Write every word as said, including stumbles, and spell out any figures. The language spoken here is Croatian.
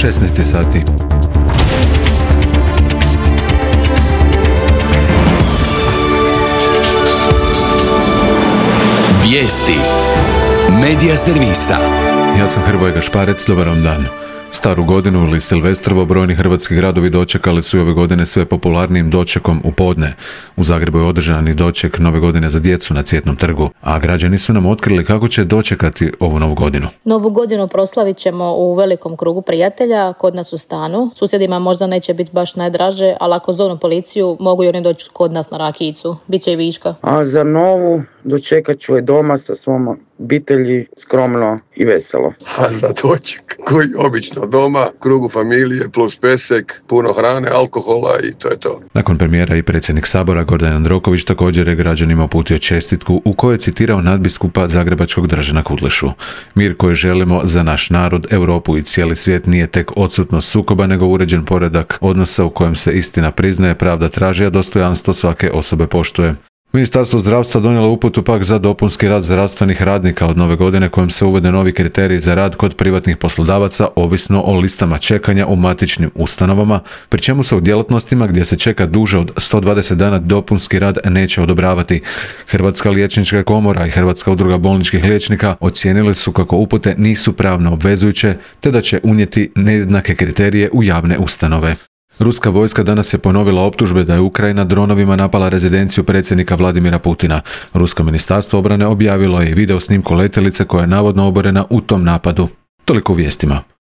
šesnaest sati. Vijesti Medija servisa. Ja sam Hrvoje Gašparec, dobar vam dan. Staru godinu ili Silvestrovo brojni hrvatski gradovi dočekali su i ove godine sve popularnijim dočekom u podne. U Zagrebu je održan i doček nove godine za djecu na Cvjetnom trgu, a građani su nam otkrili kako će dočekati ovu novu godinu. Novu godinu proslavit ćemo u velikom krugu prijatelja, kod nas u stanu. Susjedima možda neće biti baš najdraže, ali ako zovnu policiju, mogu i oni doći kod nas na rakijicu. Biće i viška. A za novu dočekat ću je doma sa svom obitelji, skromno i veselo. A za doček koji obično doma, krugu familije plus pesek, puno hrane, alkohola i to je to. Nakon premijera i predsjednik Sabora Gordan Jandroković također je građanima uputio čestitku u kojoj je citirao nadbiskupa zagrebačkog Dražena Kudlešu. Mir koji želimo za naš narod, Europu i cijeli svijet nije tek odsutnost sukoba, nego uređen poredak odnosa u kojem se istina priznaje, pravda traži, a dostojanstvo svake osobe poštuje. Ministarstvo zdravstva donijelo uputu pak za dopunski rad zdravstvenih radnika od nove godine kojim se uvode novi kriteriji za rad kod privatnih poslodavaca ovisno o listama čekanja u matičnim ustanovama, pri čemu se u djelatnostima gdje se čeka duže od sto dvadeset dana dopunski rad neće odobravati. Hrvatska liječnička komora i Hrvatska udruga bolničkih liječnika ocijenili su kako upute nisu pravno obvezujuće te da će unijeti nejednake kriterije u javne ustanove. Ruska vojska danas je ponovila optužbe da je Ukrajina dronovima napala rezidenciju predsjednika Vladimira Putina. Rusko ministarstvo obrane objavilo je video snimku letjelice koja je navodno oborena u tom napadu. Toliko u vijestima.